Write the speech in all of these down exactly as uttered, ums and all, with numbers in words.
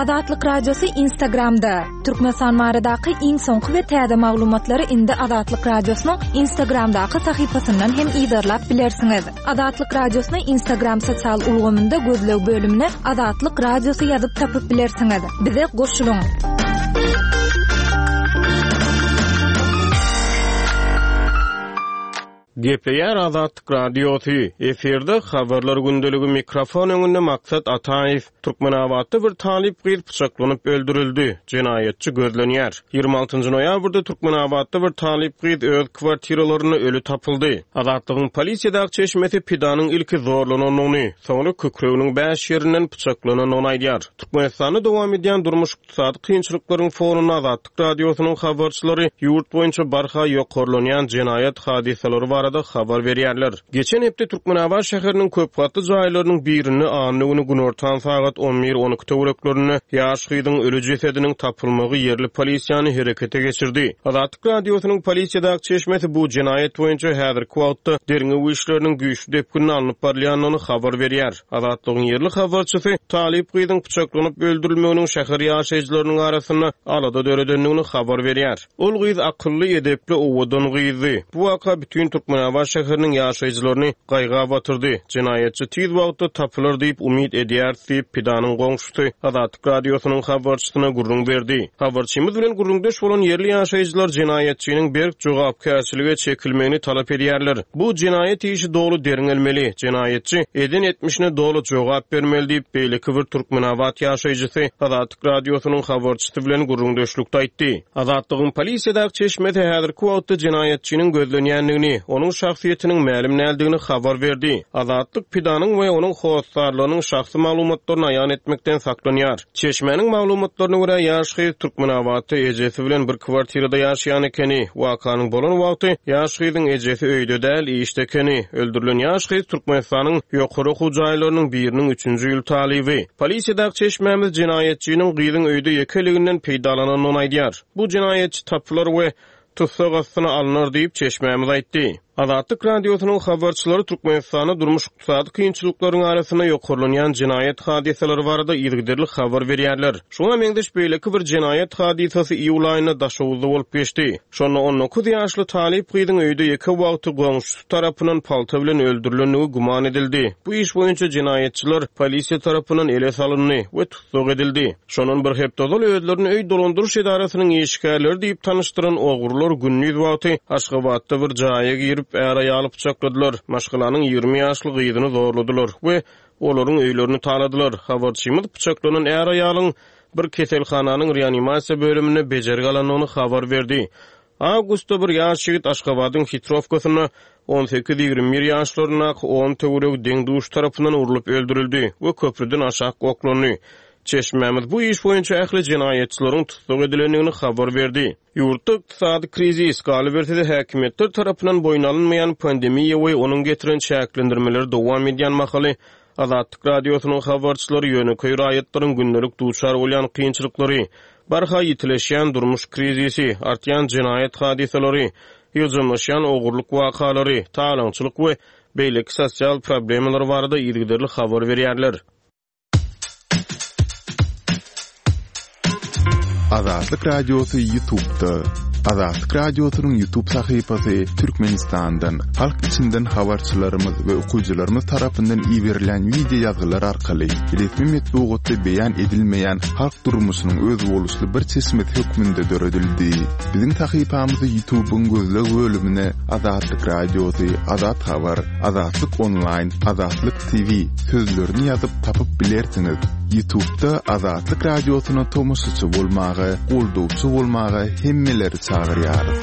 Azatlyk Radiosy Instagramda. Türkmenistan baradaky iň soňky we täze maglumatlary indi Azatlyk Radiosynyň Instagramdaky sahypasyndan hem yzarlap bilersiňiz. Azatlyk Radiosyny Instagram sosial ulgamynda gözleg bölümine Azatlyk Radiosy ýazyp tapyp bilersiňiz. Bize goşulyň. Gepleýär Azatlyk Radiosy. Efirde habarlar gündeligi mikrofon öňünde Maksat Ataýew. Türkmenabatda bir talyp gyz pyçaklanyp öldürildi. Jenaýatçy gözlenýär. Ýigrimi altynjy noýabrda Türkmenabatda bir talyp gyz öz kwartiralarynda öli tapyldy. Azatlygyň polisiýadaky çeşmesi pidanyň ilki zorlanandygyny, soňra kükreginiň bäş ýerinden pyçaklanandygyny aýdýar. Türkmenistanda dowam edýän durmuş-ykdysady kynçylyklaryň fonunda Azatlyk Radiosynyň habarçylary ýurt boýunça barha ýokarlanýan jenaýat hadysalary barada habar berýärler. Geçen hepde Türkmenabat şäheriniň köp gatly jaýlarynyň birinde anna güni günortan sagat on bir on iki töwereklerinde ýaş gyzyň öli jesediniň tapylmagy ýerli polisiýany herekete geçirdi. Azatlyk Radiosynyň polisiýadaky çeşmesi bu jenaýat boýunça häzirki wagtda derňew işleriniň güýçli depginini alnyp barylýandygyny habar berýär. Azatlygyň ýerli habarçysy talyp gyzyň pyçaklanyp öldürilmeginiň şäher ýaşaýjylarynyň arasynda alada döredendigini habar berýär. Ol gyz akylly, edepli, owadan gyzdy. Bu waka bütün Türkmenabat şäheriniň ýaşaýjylaryny gaýga batyrdy. Jenaýatçy tiz wagtda tapylar diýip umyt edýär diýip pidanyň goňşusy Azatlyk Radiosynyň habarçysyna gürrüň berdi. Habarçymyz bilen gürrüňdeş bolan ýerli ýaşaýjylar jenaýatçynyň berk jogapkärçilige çekilmegini talap edýärler. Bu jenaýat işi doly derňelmeli. Jenaýatçy eden etmişine doly jogap bermeli diýip beýleki bir Türkmenabat ýaşaýjysy Azatlyk Radiosynyň habarçysy bilen gürrüňdeşlikde aýtdy. Azatlygyň polisiýadaky çeşmesi häzirki wagtda jenaýatçynyň gözlenýändigini, onuň şahsyýetiniň mälim däldigini habar berdi. Azatlyk pidanyň we onuň hossarlarynyň şahsy maglumatlaryny aýan etmekden saklanýar. Çeşmäniň maglumatlaryna görä ýaş gyz Türkmenabatda ejesi bilen bir kwartirada ýaşaýan ekeni. Wakanyň bolan wagty ýaş gyzyň ejesi öýde däl, işde ekeni. Öldürilen ýaş gyz Türkmenistanyň ýokary okuw jaýlarynyň biriniň üçünji ýyl talyby. Polisiýadaky çeşmämiz jenaýatçynyň gyzyň öýde ýekeliginden peýdalanandygyny aýdýar. Bu jenaýatçy tapylar we tussag astyna alnar diýip çeşmämiz aýtdy. Azatlyk Radiosynyň habarçylary Türkmenistanda durmuş-ykdysady kynçylyklaryň arasynda ýokarlanýan jenaýat hadysalary barada yzygiderli habar berýärler. Şoňa meňzeş beýleki bir jenaýat hadysasy iýul aýynda Daşoguzda bolup geçdi. Şonda on dokuz ýaşly talyp gyzyň öýde ýeke wagty goňşusy tarapyndan palta bilen öldürilendigi güman edildi. Bu iş boýunça jenaýatçylar polisiýa tarapyndan ele salyndy we tussag edildi. Şondan bir hepde ozal özlerini öý dolandyryş edarasynyň işgärleri diýip tanyşdyran ogrular gündiz wagty Aşgabatda bir jaýa girip är aýaly pyçakladylar. Maşgalanyň ýigrimi ýaşly gyzyny zorladylar we olaryň öýlerini taladylar. Habarçymyz pyçaklanan är aýalyň bir keselhananyň reanimasiýa bölüminde bejergi alandygyny habar berdi. Awgustda bir ýaş ýigit Aşgabadyň Hitrowkasynda on sekiz ýigrimi bir ýaşlaryndaky on töweregi deň-duş tarapyndan urlup öldürildi we köprüden aşak oklandy. Çeşmämiz bu iş boýunça ähli jenaýatçylaryň tussag edilendigini habar berdi. Ýurtda ykdysady krizis, galyberse-de häkimiýetler tarapyndan boýun alynmaýan pandemiýa we onuň getiren çäklendirmeleri dowam edýän mahaly Azatlyk Radiosynyň habarçylary ýönekeý raýatlaryň gündelik duçar bolýan kynçylyklary, barha ýitileşýän durmuş krizisi, artýan jenaýat hadysalary, ýygjamlaşýan ogurlyk wakalary, talaňçylyk we beýleki sosial problemalar barada yzygiderli habar berýärler. Azatlyk Radiosy YouTube'da. Azatlyk Radiosynyň YouTube sahypasy Türkmenistandan, halk içinden habarçylarymyz we okyjylarymyz tarapyndan iberilen video ýazgylar arkaly resmi metbugatda beýan edilmeýän halk durmuşynyň özboluşly bir çeşmesi hökmünde döredildi. Biziň sahypamyzy YouTube'yň gözleg bölümine Azatlyk Radiosy, Azat Habar, Azatlyk Online, Azatlyk T V sözlerini ýazyp tapyp bilersiňiz. YouTube'da Azatlyk Radiosyna tomaşaçy bolmaga, goldawçy bolmaga hemmeleri çagyrýarys.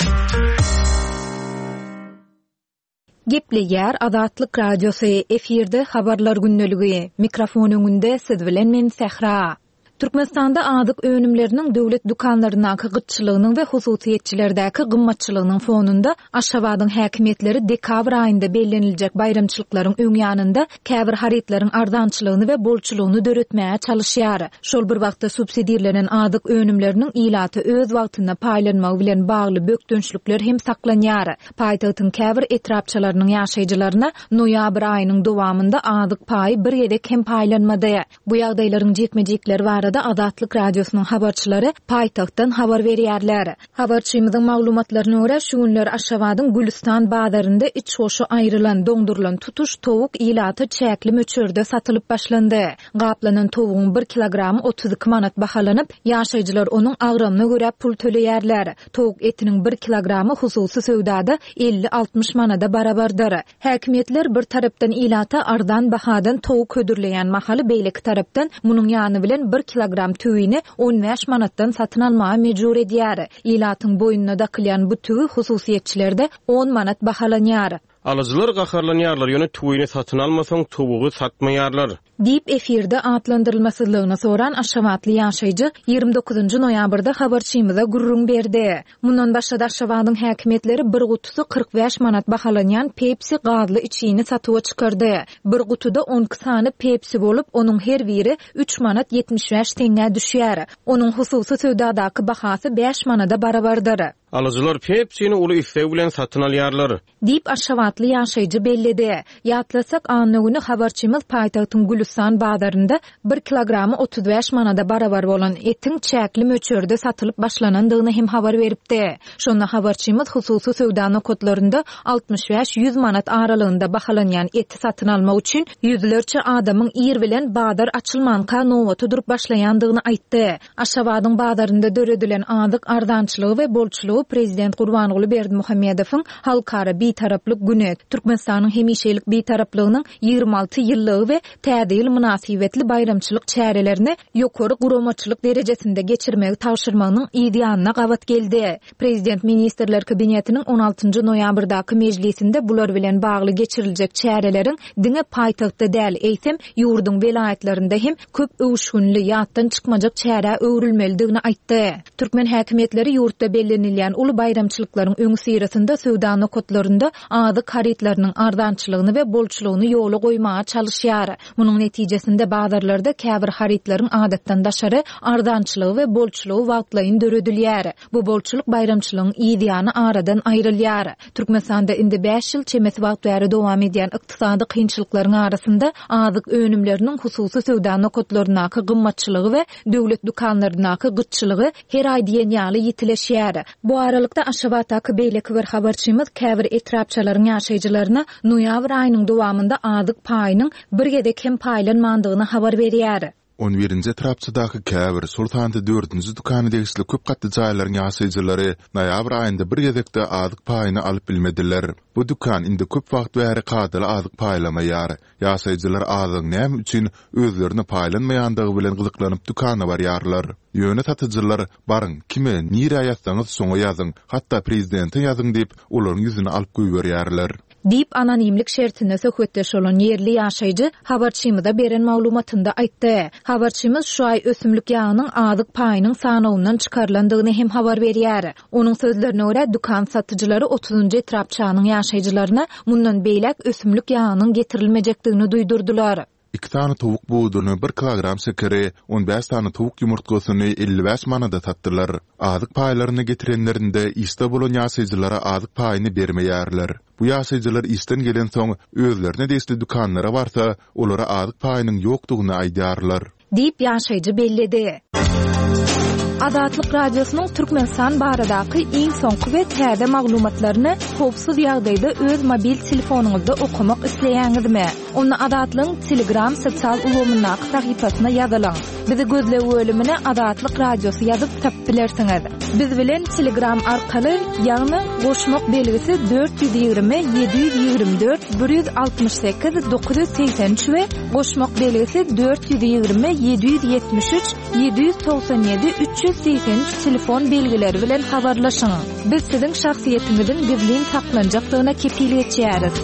Gepleýär Azatlyk Radiosy, efirde habarlar gündeligi. Mikrofon öňünde siz bilen men Sähra. Türkmenistanda azyk önümleriniň döwlet dükanlaryndaky gytçylygynyň we hususyýetçilerdäki gymmatçylygynyň fonunda Aşgabadyň häkimiýetleri dekabr aýynda belleniljek baýramçylyklaryň öň ýanynda käbir harytlaryň arzançylygyny we bolçulygyny döretmäge çalışýar. Şol bir wagtda subsidirlenen azyk önümleriniň ilaty öz wagtynda paýlanmagy bilen bagly bökdençlikler hem saklanýar. Paýtagtyň käbir etrapçalarynyň ýaşaýjylaryna noýabr aýynyň dowamynda azyk paýy bir gezek hem paýlanmady. Bu ýagdaýlaryň jikme-jikleri barada barada Azatlyk Radiosynyň habarçylary paýtagtdan habar berýärler. Habarçymyzyň maglumatlaryna görä, şu günler Aşgabadyň Gülüstan bazarynda iç goşy aýrylan, doňdurylan tutuş towuk ilata çäkli möçberde satylyp başlandy. Gaplanan towugyň bir kilogramy otuz iki manat bahalanyp, ýaşaýjylar onuň agramyna görä pul töleýärler. Towuk etiniň bir kilogramy hususy söwdada elli-altmyş manada barabardyr. Häkimiýetler bir tarapdan ilata arzan bahadan towuk hödürleýän mahaly, beýleki tarapdan munuň ýany bilen bir kilogram tüwini on bäş manatdan satyn almaga mejbur edýär. Ilatyň boýnuna dakylýan bu tüwi hususyýetçilerde on manat bahalanýar. Alyjylar gaharlanýarlar, ýöne tüwini satyn almasaň towugy satmaýarlar. Diýip efirde atlandyrylmasyzlygyny soran Aşgabatly ýaşaýjy ýigrimi dokuzynjy noýabrda habarçymyza gürrüň berdi. Mundan başga-da Aşgabadyň häkimiýetleri bir gutusy kyrk bäş manat bahalanýan Pepsi gazly içgini satuwa çykardy. Bir gutuda on iki sany Pepsi bolup, onuň her biri üç manat ýetmiş bäş teňňä düşýär. Onuň hususy söwdadaky bahasy bäş manada barabardyr. Alyjylar Pepsini uly isleg bilen satyn alýarlar. Diýip Aşgabatly ýaşaýjy belledi. Ýatlasak, anna güni habarçymyz paýtagtyň Gülüstan bazarynda bir kilogramy otuz bäş manada barabar bolan etiň çäkli möçberde satylyp başlanandygyny hem habar beripdi. Şonda habarçymyz hususy söwda nokatlarynda altmyş bäş ýüz manat aralygynda bahalanýan eti satyn almak üçin ýüzlerçe adamyň ir bilen bazar açylmanka nobata durup başlaýandygyny aýtdy. Aşgabadyň bazarynda döredilen azyk arzançylygy we bolçulygy Prezident Gurbanguly Berdimuhamedowyň Halkara Bitaraplyk günü, Türkmenistanyň hemişelik bitaraplygynyň ýigrimi alty ýyllygy we Täze ýyl mynasybetli baýramçylyk çärelerini ýokary guramaçylyk derejesinde geçirmegi tabşyrmagynyň yz ýanyna gabat geldi. Prezident Ministrler Kabinetiniň on altynjy noýabrdaky mejlisinde bular bilen bagly geçiriljek çäreleriň diňe paýtagtda däl, eýsem ýurduň welaýatlarynda hem köp öwüşginli, ýatdan çykmajak çärä öwrülmelidigini aýtdy. Türkmen häkimiýetleri ýurtda bellenilýän uly baýramçylyklaryň öňi syrasynda söwda nokatlarynda azyk harytlarynyň arzançylygyny we bolçulygyny ýola goýmaga çalyşýar. Munuň netijesinde bazarlarda käbir harytlaryň adatdan daşary arzançylygy we bolçulygy wagtlaýyn döredilýär. Bu bolçulyk baýramçylygyň yz ýany aradan aýrylýar. Türkmenistanda indi bäş ýyl çemesi wagt bäri dowam edýän ykdysady kynçylyklaryň arasynda azyk önümleriniň hususy söwda nokatlaryndaky gymmatçylygy we döwlet dükanlaryndaky gytçylygy her aý diýen ýaly ýitileşýär. Bu aralykda Aşgabatdaky beýleki bir habarçymyz käbir etrapçalaryň ýaşaýjylaryna noýabr aýynyň dowamynda azyk paýynyň bir gezek hem paýlanmandygyny habar berýär. On birinji etrapçadaky käbir, şol sanda dördünji dükana degişli köp gatly jaýlaryň ýaşaýjylary noýabr aýynda bir gezekde azyk paýyny alyp bilmediler. Bu dükan indi köp wagt bäri kadaly azyk paýlamaýar. Ýaşaýjylar azygyň näme üçin özlerine paýlanmaýandygy bilen gyzyklanyp dükana barýarlar. Ýöne satyjylar baryň, kime, nirä ýazsaňyz şoňa ýazyň, hatda prezidente ýazyň diýip, olaryň ýüzüni alyp goýberýärler. Diýip anonimlik şertinde söhbetdeş bolan ýerli ýaşaýjy habarçymyza beren maglumatynda aýtdy. Habarçymyz şu aý ösümlik ýagynyň azyk paýynyň sanawyndan çykarylandygyny hem habar berýär. Onuň sözlerine görä dükan satyjylary otuzynjy etrapçanyň ýaşaýjylaryna mundan beýläk ösümlik ýagynyň getirilmejekdigini duýdurdylar. Iki sany towuk buduny, bir kilogram şekeri, on bäş sany towuk ýumurtgasyny elli bäş manada satdylar. Azyk paýlaryny getirenlerinde işde bolan ýaşaýjylara azyk paýyny bermeýärler. Bu ýaşaýjylar işden gelen soň özlerine degişli dükanlara barsa, olara azyk paýynyň ýokdugyny aýdýarlar. Diýip ýaşaýjy belledi. Azatlyk Radiosynyň Türkmenistan baradaky iň soňky we täze maglumatlaryny howpsuz ýagdaýda öz mobil telefonyňyzda okamak isleýäňizmi? Onda Azatlygyň Telegram sosial ulgamyndaky sahypasyna ýazylyň. Bizi gözleg bölümine Azatlyk Radiosy ýazyp tapyp bilersiňiz. Biz bilen Telegram arkaly, ýagny goşmak belgisi dört ýüz ýigrimi, ýedi ýüz ýigrimi dört, bir ýüz altmyş sekiz, dokuz ýüz segsen üç we goşmak belgisi dört ýüz ýigrimi, ýedi ýüz ýetmiş üç, ýedi ýüz togsan ýedi, üç ýüz segsen üç telefon belgileri bilen habarlaşyň. Biz siziň şahsyýetiňiziň gizlin saklanjakdygyna kepil geçýäris.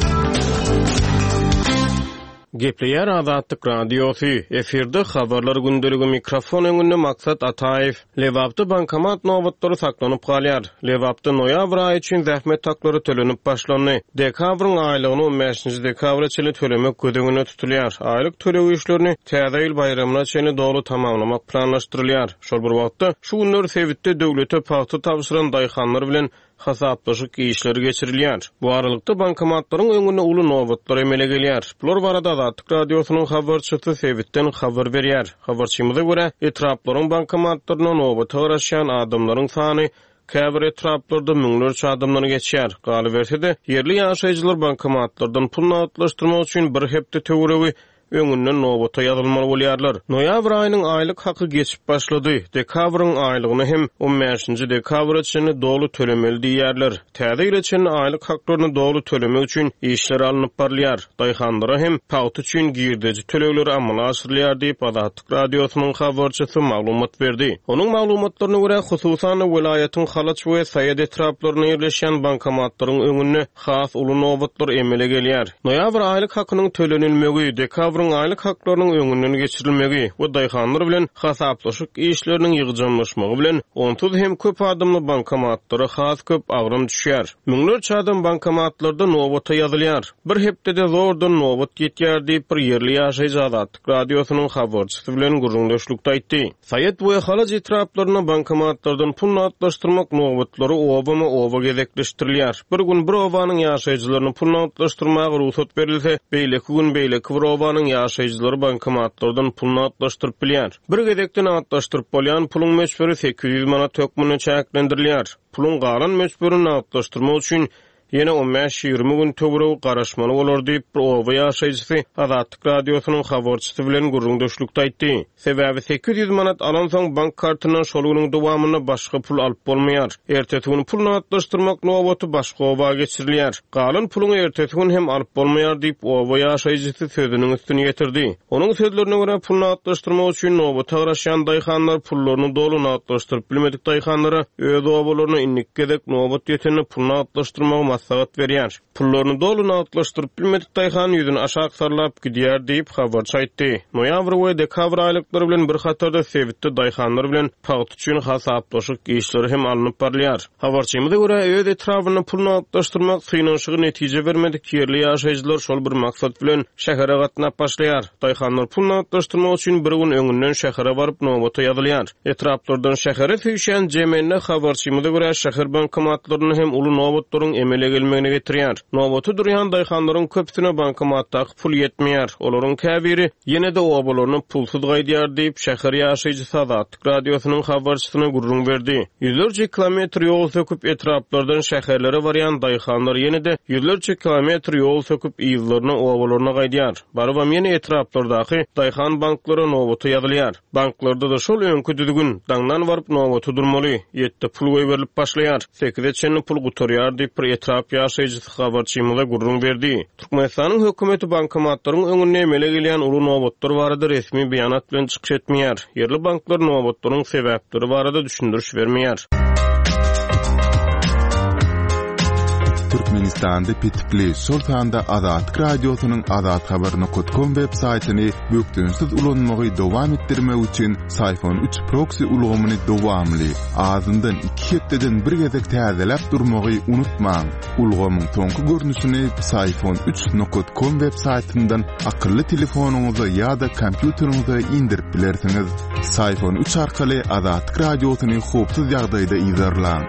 Gepleýär Azatlyk Radiosy. Efirde habarlar gündeligi mikrofon öňünde Maksat Ataýew. Lebapda bankomat nobatlary saklanyp galýar. Lebapda noýabr aýy üçin zähmet haklary tölenip başlandy. Dekabryň aýlygyny on bäşinji dekabra çenli tölemek göz öňünde tutulýar. Aýlyk töleg işlerini Täze ýyl baýramyna çenli doly tamamlamak planlaşdyrylýar. Şol bir wagtda şu günler sebitde döwlete pagta tabşyran daýhanlar bilen hasaplaşyk işleri geçirilýär. Bu aralykda bankomatlaryň öňünde uly nobatlar emele gelýär. Bular barada Azatlyk Radiosynyň habarçysy sebitden habar berýär. Habarçymyza görä, etraplaryň bankomatlaryna nobata garaşýan adamlaryň sany käbir etraplarda müňlerçe adamdan geçýär. Galyberse-de, ýerli ýaşaýjylar bankomatlardan pul nagtlaşdyrmak üçin bir hepde töweregi öňünden nobata ýazylmaly bolýarlar. Noýabr aýynyň aýlyk haky geçip başlady. Dekabryň aýlygyny hem on bäşinji dekabra çenli doly tölemeli diýýärler. Täze ýyla çenli aýlyk haklaryny doly tölemek üçin işler alnyp barylýar. Daýhanlara hem pagta üçin girdeji tölegleri amala aşyrylýar diýip Azatlyk Radiosynyň habarçysy maglumat berdi. Onuň maglumatlaryna görä, hususan welaýatyň Halaç we Saýat etraplarynda ýerleşýän bankomatlaryň öňünde has uly nobatlar emele gelýär. Noýabr aýlyk hakynyň tölenilmegi, dekabryň aýlyk haklarynyň öňünden geçirilmegi we daýhanlar bilen hasaplaşyk işleriniň ýygjamlaşmagy bilen onsuz hem köp adamly bankomatlara has köp agram düşýär. Müňlerçe adam bankomatlarda nobata ýazylýar. Bir hepdede zordan nobat ýetýär diýip bir ýerli ýaşaýjy Azatlyk Radiosynyň habarçysy bilen gürrüňdeşlikde aýtdy. Saýat we Halaç etraplarynda bankomatlardan pul nagtlaşdyrmak nobatlary obama-oba gezekleşdirilýär. Bir gün bir obanyň ýaşaýjylaryny pul nagtlaşdyrmaga rugsat berilse, beýleki gün beýleki bir obanyň ýaşaýjylary bankomatlardan pul nagtlaşdyryp bilýär. Bir gezekde nagtlaşdyryp bolýan puluň möçberi sekiz ýüz manat hökmünde çäklendirilýär. Puluň galan möçberini nagtlaşdyrmak üçin ýene on bäş ýigrimi gün töweregi garaşmaly bolar diýip bir oba ýaşaýjysy Azatlyk Radiosynyň habarçysy bilen gürrüňdeşlikde aýtdy. Sebäbi sekiz ýüz manat alansoň bank kartyndan şol günüň dowamynda başga pul alyp bolmaýar. Ertesi gün pul nagtlaşdyrmak nobaty başga oba geçirilýär. Galan puluň ertesi gün hem alyp bolmaýar diýip oba ýaşaýjysy sözüniň üstüni ýetirdi. Onuň sözlerine görä pul nagtlaşdyrmak üçin nobata garaşýan daýhanlar pullaryny doly nagtlaşdyryp bilmedik daýhanlara öz obalaryna indiki gezek nobat ýetende pul nagtlaşdyrmagy maslahat berýär. Pullaryny doly nagtlaşdyryp bilmedik daýhan ýüzüni aşak sallap gidýär diýip habarçy aýtdy. Noýabr we dekabr aýlyklary bilen bir hatarda sebitde daýhanlar bilen pagta üçin hasaplaşyk işleri hem alnyp barylýar. Habarçymyza görä öz etrabynda pul nagtlaşdyrmak synanyşygy netije bermedik ýerli ýaşaýjylar şol bir maksat bilen şähere gatnap başlaýar. Daýhanlar pul nagtlaşdyrmak üçin bir gün öňünden şähere baryp nobata ýazylýar. Etraplardan şähere süýşen jemende habarçymyza görä şäher bankomatlarynda hem uly nobatlaryň emele gelmegine getirýär. Nobata durýan daýhanlaryň köpüsine bankomatdaky pul ýetmeýär. Olaryň käbiri ýene-de obalaryna pulsuz gaýdýar diýip şäher ýaşaýjysy Azatlyk Radiosynyň habarçysyna gürrüň berdi. Ýüzlerçe kilometr ýol söküp etraplardan şäherlere barýan daýhanlar ýene-de ýüzlerçe kilometr ýol söküp yzlaryna obalaryna gaýdýar. Barybam ýene etraplardaky daýhan banklara nobata ýazylýar. Banklarda da şol öňkü düzgün daňdan baryp nobata durmaly. Ýetde pul goýberilip başlaýar. Sekize çenli pul gutarýar diýip bir etrap ýaşaýjysy habarçymyza gürrüň berdi. Türkmenistanyň hökümeti bankomatlaryň öňünde emele gelýän uly nobatlar barada resmi beýanat bilen çykyş etmeýär. Ýerli banklar nobatlaryň sebäpleri barada düşündiriş bermeýär. Türkmenistanda petikli, şol sanda Azatlyk Radiosynyň azathabar nokta com web saýtyny bökdençsiz ulanmagy dowam etdirmek üçin Syfon üç proxy ulgamyny dowamly, azyndan iki hepdeden bir gezek täzeläp durmagy unutmaň. Ulgamyň soňky görnüşini Syfon üç nokta com web saýtyndan akylly telefonyňyza ýa-da kompýuteriňize indirip bilersiňiz. Syfon üç arkaly Azatlyk Radiosyny howpsuz ýagdaýda yzarlaň.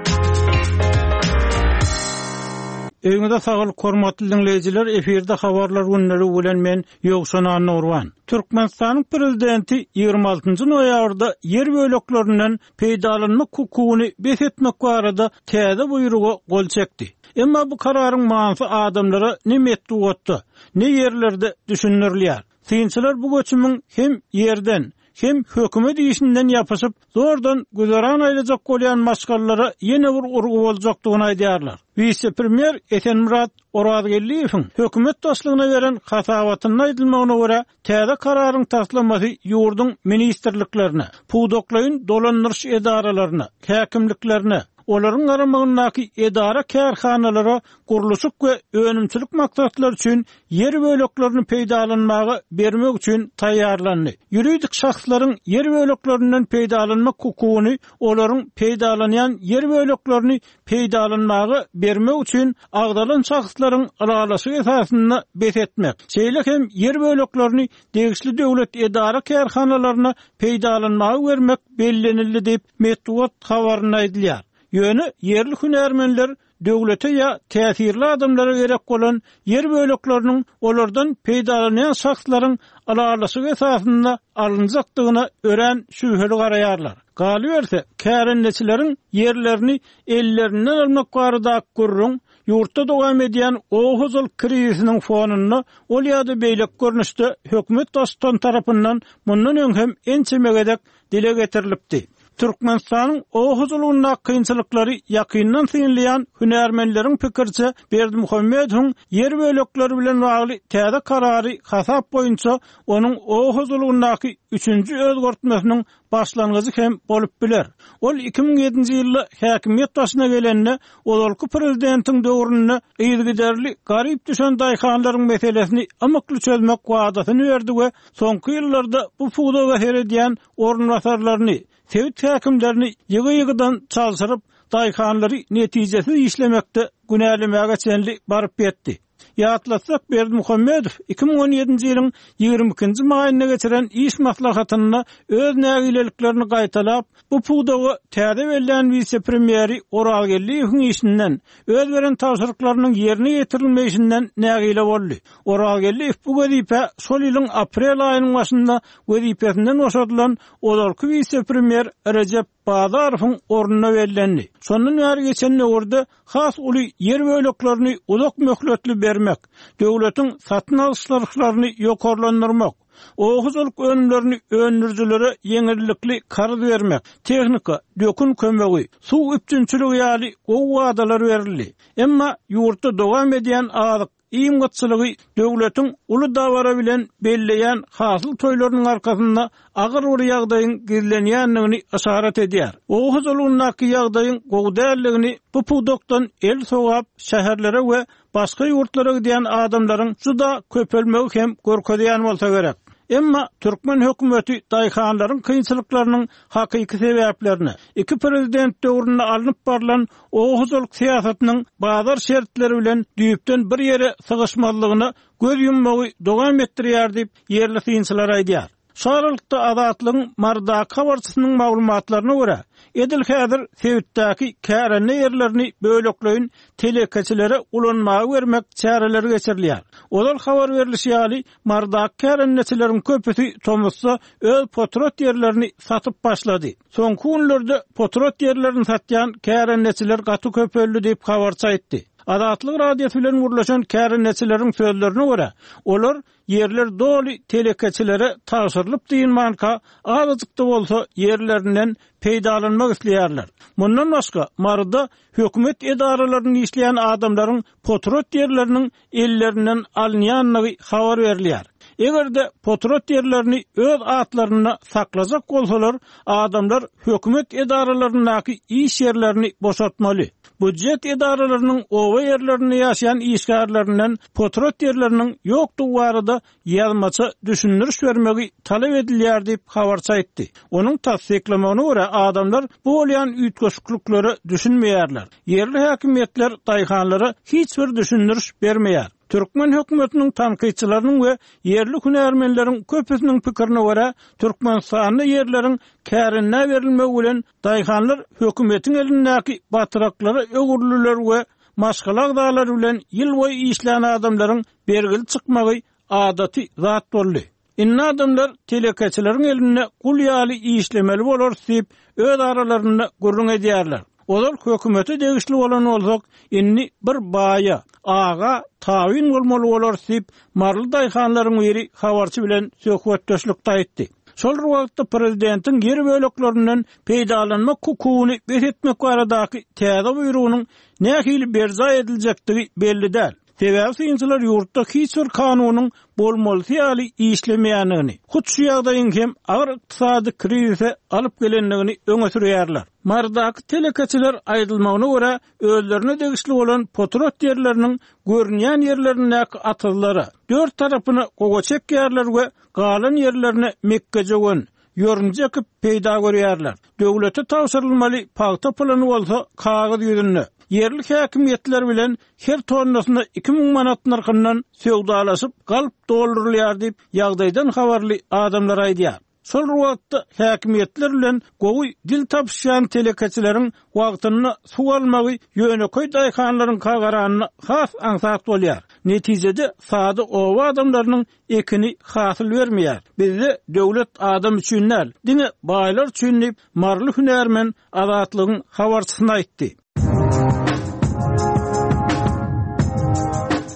Öňüňize saglyk hormatly dinleýjiler, efirde habarlar günleri bilen men Ýowşan Annurwan. Türkmenistanyň prezidenti ýigrimi altynjy noýabrda ýer böleklerinden peýdalanmak hukugyny bes etmek barada täze buýruga gol çekdi. Emma bu kararyň manysy adamlara ne metbugatda, ne ýerlerde düşündirilýär. Synçylar bu göçümiň hem ýerden, hem hökümet işinden ýapyşyp, zordan güzeran aýlajak bolýan maşgalalara ýene bir urgy boljakdygyny aýdýarlar. Wise-premýer Esenmurat Orazgeldiýewiň hökümet başlygyna beren hasabatynda aýdylmagyna görä, täze kararyň taslamasy ýurduň ministrliklerine, pudaklaýyn dolandyryş edaralaryna, häkimliklerine, olaryň garamagyndaky edara kärhanalara gurluşyk we önümçilik maksatlary üçin ýer böleklerini peýdalanmaga bermek üçin taýýarlandy. Ýuridik şahslaryň ýer böleklerinden peýdalanmak hukugyny olaryň peýdalanýan ýer böleklerini peýdalanmaga bermek üçin agzalan şahslaryň ylalaşygy esasynda bes etmek. Şeýle hem ýer böleklerini degişli döwlet edara kärhanalaryna peýdalanmaga bermek bellenildi diýip metbugat habarynda aýdylýar. Ýöne ýerli hünärmenler döwlete ýa täsirli adamlara gerek bolan ýer bölekleriniň olardan peýdalanýan şahslaryň ylalaşygy esasynda alynjakdygyna örän şübheli garaýarlar. Galyberse, kärendeçileriň ýerlerini ellerinden almak barada gürrüň ýurtda dowam edýän oba hojalyk krizisiniň fonunda ol ýa-da beýleki görnüşde hökümet baştutan tarapyndan mundan öň hem ençeme gezek dile getirilipdi. Türkmenistanyň oba hojalygyndaky kynçylyklary ýakyndan synlaýan hünärmenleriň pikiriçe, Berdimuhamedowyň ýer bölekleri bilen bagly täze karary hasap boýunça onuň oba hojalygyndaky üçünji özgertmesiniň başlangyjy hem bolup biler. Ol iki müň ýedinji ýylda häkimiýet başyna gelende, ozalky prezidentiň döwründe yzygiderli garyp düşen daýhanlaryň meselesini ymykly çözmek wadasyny berdi we soňky ýyllarda bu pudaga seredýän orunbasarlaryny, sebit häkimlerini ýygy-ýygydan çalşyryp, daýhanlary netijesiz işlemekde günälemäge çenli baryp ýetdi. Ýatlatsak, Berdimuhamedow iki müň on ýedinji ýylyň ýigrimi ikinji maýynda geçiren iş maslahatynda öz nägileliklerini gaýtalap, bu pudaga täze bellän wise-premýeri Orazgeldiýewiň işinden, öz beren tabşyryklarynyň ýerine ýetirilmeýşinden nägile boldy. Orazgeldiýew bu wezipä şol ýylyň aprel aýynyň başynda wezipesinden boşadylan ozalky wise-premýer Rejep Bazarowyň ornuna bellendi. Şondan bäri geçen döwürde has uly ýer böleklerini uzak möhletli bermek, döwletiň satyn alyş nyrhlaryny ýokarlandyrmak, oba hojalyk önümlerini öndürijilere ýeňillikli karz bermek, tehnika, dökün kömegi, suw üpjünçiligi ýaly gowy wadalar berildi. Emma ýurtda dowam edýän azyk iým gytçylygy döwletiň uly dabara bilen belleýän hasyl toýlarynyň arkasynda agyr bir ýagdaýyň gizlenýändigini yşarat edýär. Oba hojalygyndaky ýagdaýyň gowy däldigini bu pudakdan el sogap şäherlere we başga ýurtlara gidýän adamlaryň juda köpelmegi hem görkezýän bolsa gerek. Emma türkmen hökümeti daýhanlaryň kynçylyklarynyň hakyky sebäplerini iki prezident döwründe alnyp barlan oba hojalyk syýasatynyň bazar şertleri bilen düýpden bir ýere sygyşmazlygyna göz ýummagy dowam etdirýär diýip ýerli synçylar aýdýar. Şu aralykda Azatlygyň Marydaky habarçysynyň maglumatlaryna görä, edil häzir sebitdäki kärende ýerlerini bölekleýin telekeçilere ulanmaga bermek çäreleri geçirilýär. Ozal habar berilişi ýaly, Marydaky kärendeçileriň köpüsi tomusda öz potrat ýerlerini satyp başlady. Soňky günlerde potrat ýerlerini satýan kärendeçiler gaty köpeldi diýip habarçy aýtdy. Azatlyk Radiosy bilen gürleşen kärendeçileriň sözlerine görä, olar ýerler doly telekeçilere tabşyrylyp diýilmänkä, azajyk-da bolsa ýerlerinden peýdalanmak isleýärler. Mundan başga, Maryda hökümet edaralarynda işleýän adamlaryň potrat ýerleriniň ellerinden alynýandygy habar berilýär. Eger-de potrat ýerlerini öz atlarynda saklajak bolsalar, adamlar hökümet edaralaryndaky iş ýerlerini boşatmaly. Budjet edaralarynyň oba ýerlerinde ýaşaýan işgärlerinden potrat ýerleriniň ýokdugy barada ýazmaça düşündiriş bermegi talap edilýär diýip habarçy aýtdy. Onuň tassyklamagyna görä, adamlar bu bolýan üýtgeşikliklere düşünmeýärler. Ýerli häkimiýetler daýhanlara hiç bir düşündiriş bermeýär. Türkmen hökümetiniň tankytçylarynyň we ýerli hünärmenleriň köpüsiniň pikirine görä, Türkmenistanda ýerleriň kärendä berilmegi bilen daýhanlar hökümetiň elindäki batyraklara öwrüldiler we maşgala agzalary bilen ýyl boýy işlän adamlaryň bergili çykmagy adaty zat boldy. Indi adamlar telekeçileriň elinde gul ýaly işlemeli bolar diýip öz aralarynda gürrüň edýärler. Olar hökümete degişli bolan bolsak, indi bir baýa, aga tawin bolmaly bolar diýip Maryly daýhanlaryň biri habarçy bilen söhbetdeşlikde aýtdy. Şol bir wagtda prezidentiň ýer böleklerinden peýdalanmak hukugyny bes etmek baradaky täze buýrugynyň nähili berjaý ediljekdigi belli däl. Sebäbi synçylar ýurtda hiç bir kanunyň bolmalysy ýaly işlemeýändigini, hut şu ýagdaýyň hem agyr ykdysady krizise alyp gelendigini öňe sürýärler. Marydaky telekeçiler aýdylmagyna görä, özlerine degişli bolan potrat ýerleriniň görünýän ýerlerindäki atyzlara dört tarapyna gowa çekýärler we galan ýerlerine mekgejöwen, ýörünje ekip peýda görýärler. Döwlete tabşyrylmaly pagta puluny bolsa kagyz ýüzünde. Ýerli häkimiýetler bilen her tonnasyna iki müň manat nyrhyndan söwdalaşyp galp doldurylýar diýip ýagdaýdan habarly adamlar aýdýar. Şol bir wagtda häkimiýetler bilen gowy dil tapyşýan telekeçileriň wagtynda suw almagy ýönekeý daýhanlaryňka garanda has aňsat bolýar. Netijede sada oba adamlarynyň ekini hasyl bermeýär. Bizde döwlet adam üçin däl, diňe baýlar üçin diýip, maryly hünärmen Azatlygyň habarçysyna aýtdy.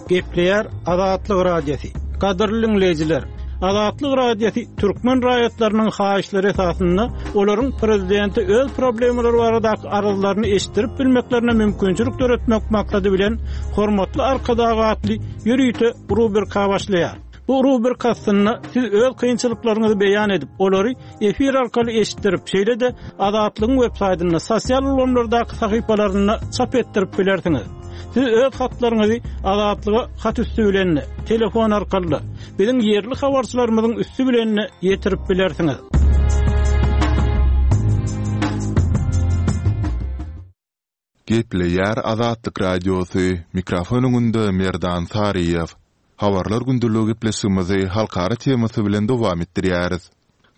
Gepleýär Azatlyk Radiosy. Gadyrly diňleýjiler, Azatlyk Radiosy türkmen raýatlarynyň haýyşlary esasynda olaryň prezidente öz problemalary baradaky arzlaryny eşitdirip bilmeklerine mümkinçilik döretmek maksady bilen Hormatly Arkadag atly ýörite rubrika başlaýar. Bu rubrika astynda siz öz kynçylyklaryňyzy beýan edip, olary efir arkaly eşitdirip, şeýle-de Azatlygyň web saýtynda, sosial ulgamlardaky sahypalarynda çap etdirip bilersiňiz. Siz öz hatlaryňyzy Azatlyga hat üsti bilen, telefon arkaly, biziň ýerli habarçylarymyzyň üsti bilen ýetirip bilersiňiz. Gepleýär Azatlyk Radiosy, mikrofon öňünde Merdan Saryýew. Habarlar gündeligi gepleşigimizi halkara temasy bilen dowam etdirýäris.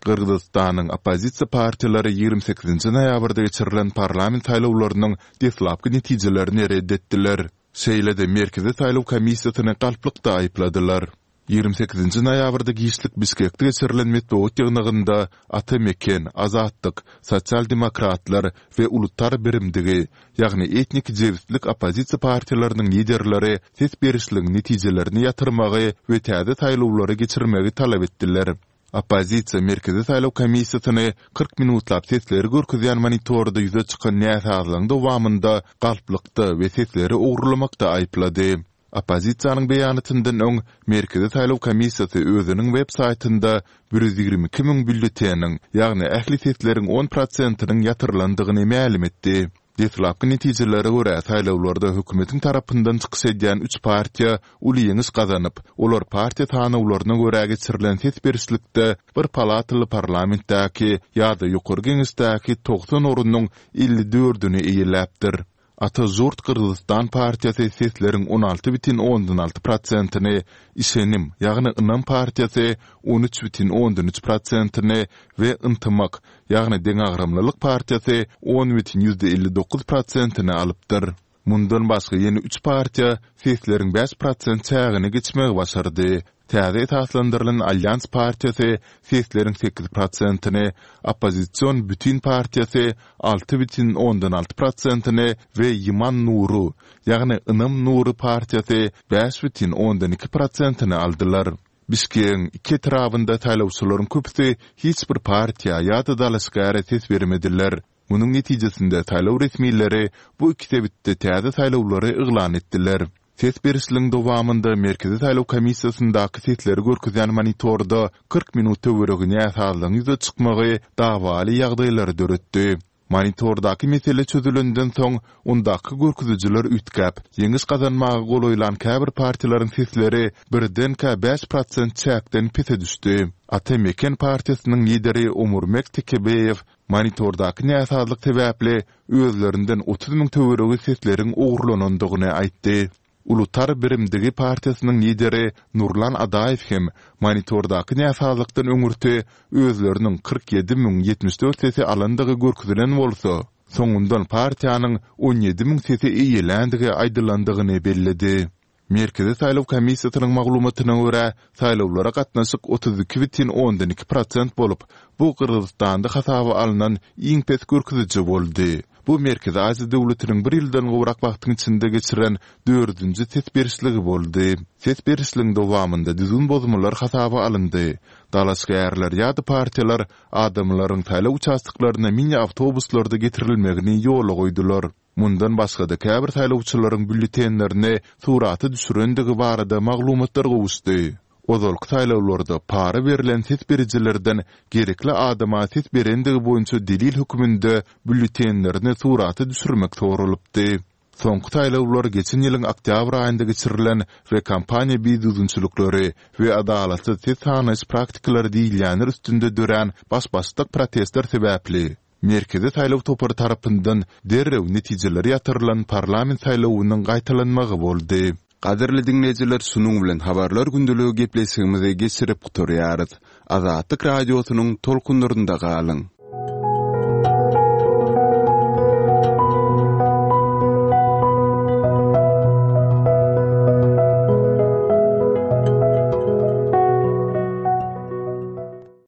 Gyrgyzystanyň oppozisiýa partiýalary ýigrimi sekizinji noýabrda geçirilen parlament saýlawlarynyň deslapky netijelerini ret etdiler. Şeýle-de Merkezi saýlaw komissiýasyny galplykda aýypladylar. Ýigrimi sekizinji noýabrda giçlik Bişkekde geçirilen metbugat ýygnagynda Ata Meken, Azatlyk, Sosial demokratlar we Ulutar birimdigi, ýagny etnik jebislik oppozisiýa partiýalarynyň liderleri ses berişligiň netijelerini ýatyrmagy we täze saýlawlary geçirmegi talap etdiler. Oppozisiýa Merkezi saýlaw komissiýasyny kyrk minutlap sesleri görkezýän monitorda ýüze çykan näsazlygyň dowamynda galplykda we sesleri ogurlamakda aýyplady. Oppozisiýanyň beýanatyndan öň Merkezi saýlaw komissiýasy özüniň web saýtynda bir ýüz ýigrimi iki müň býulleteniň, ýagny ähli sesleriň on prosentiniň ýatyrylandygyny mälim etdi. Deslapky netijelere görä, saýlawlarda hökümetiň tarapyndan çykyş edýän üç partiýa uly ýeňiş gazanyp, olar partiýa sanawlaryna görä geçirilen ses berişlikde bir palataly parlamentdäki ýa-da Ýokary Geňeşdäki togsan ornuň elli dördüni eýeläpdir. Ata Žurt Gyrgyzystan partiýasy sesleriň on alty bütin ondan alty prosentini, Işenim, ýagny Ynam partiýasy on üç bütin ondan üç prosentini we Yntymak, ýagny Deňagramlylyk partiýasy on bütin ýüzde elli dokuz prosentini alypdyr. Mundan başga ýene üç partiýa sesleriň bäş prosent çägini geçmegi başardy. Täze esaslandyrylan Alýans partiýasy sesleriň sekiz prosentini, oppozision Bütin partiýasy alty bütin ondan alty prosentini we Ýyman Nuru, ýagny Ynam Nury partiýasy bäş bütin ondan iki prosentini aldylar. Bişkegiň iki etrabynda saýlawçylaryň köpüsi hiç bir partiýa ýa-da dalaşgäre ses bermediler. Munuň netijesinde saýlaw resmileri bu iki sebitde täze saýlawlary yglan etdiler. Ses berişligiň dowamynda Merkezi saýlaw komissiýasyndaky sesleri görkezýän monitorda kyrk minut töweregi näsazlygyň ýüze çykmagy dawaly ýagdaýlary döretdi. Monitordaky mesele çözülenden soň, ondaky görkezijiler üýtgäp, ýeňiş gazanmaga golaýlan käbir partiýalaryň sesleri birdenkä bäş prosent çäkden pese düşdi. Ata Meken partiýasynyň lideri Omurmek Tekebeýew monitordaky näsazlyk sebäpli özlerinden otuz müň töweregi sesleriň ogurlanandygyny aýtdy. Ulutar birimdigi partiýasynyň lideri Nurlan Adaýew hem monitordaky näsazlykdan öňürti özleriniň kyrk ýedi müň ýetmiş dört sesi alandygy görkezilen bolsa, soňundan partiýanyň on ýedi müň sesi eýeländigi aýdylandygyny belledi. Merkezi saýlaw komissiýasynyň maglumatyna görä, saýlawlara gatnaşyk otuz iki bütin ondan iki prosent bolup, bu Gyrgyzystanda hasaba alnan iň pes görkeziji boldy. Bu Merkezi Aziýa döwletiniň bir ýyldan gowrak wagtyň içinde geçiren dördünji ses berişligi boldy. Ses berişligiň dowamynda düzgün bozmalar hasaba alyndy. Dalaşgärler ýa-da partiýalar adamlaryň saýlaw uçastoklaryna mini awtobuslarda getirilmegini ýola goýdular. Mundan başga-da käbir saýlawçylaryň býulletenlerini surata düşürendigi barada maglumatlar gowuşdy. Ozalky saýlawlarda para berlen ses berijilerden gerekli adama ses berendigi boýunça delil hökmünde býulletenlerini surata düşürmek soralypdy. Soňky saýlawlar geçen ýylyň oktýabr aýynda geçirilen we kampaniýa bidüzgünçilikleri we adalatsyz ses sanaýyş praktikalary diýilýänler üstünde dörän baş-başdak protestler sebäpli, Merkezi saýlaw topary tarapyndan derrew netijeleri ýatyrylan parlament saýlawynyň gaýtalanmagy boldy. Gadyrly diňleýjiler şunuň bilen Habarlar gündeligi gepleşigimizi geçirip gutarýarys. Azatlyk Radiosynyň tolkunlarynda galyň!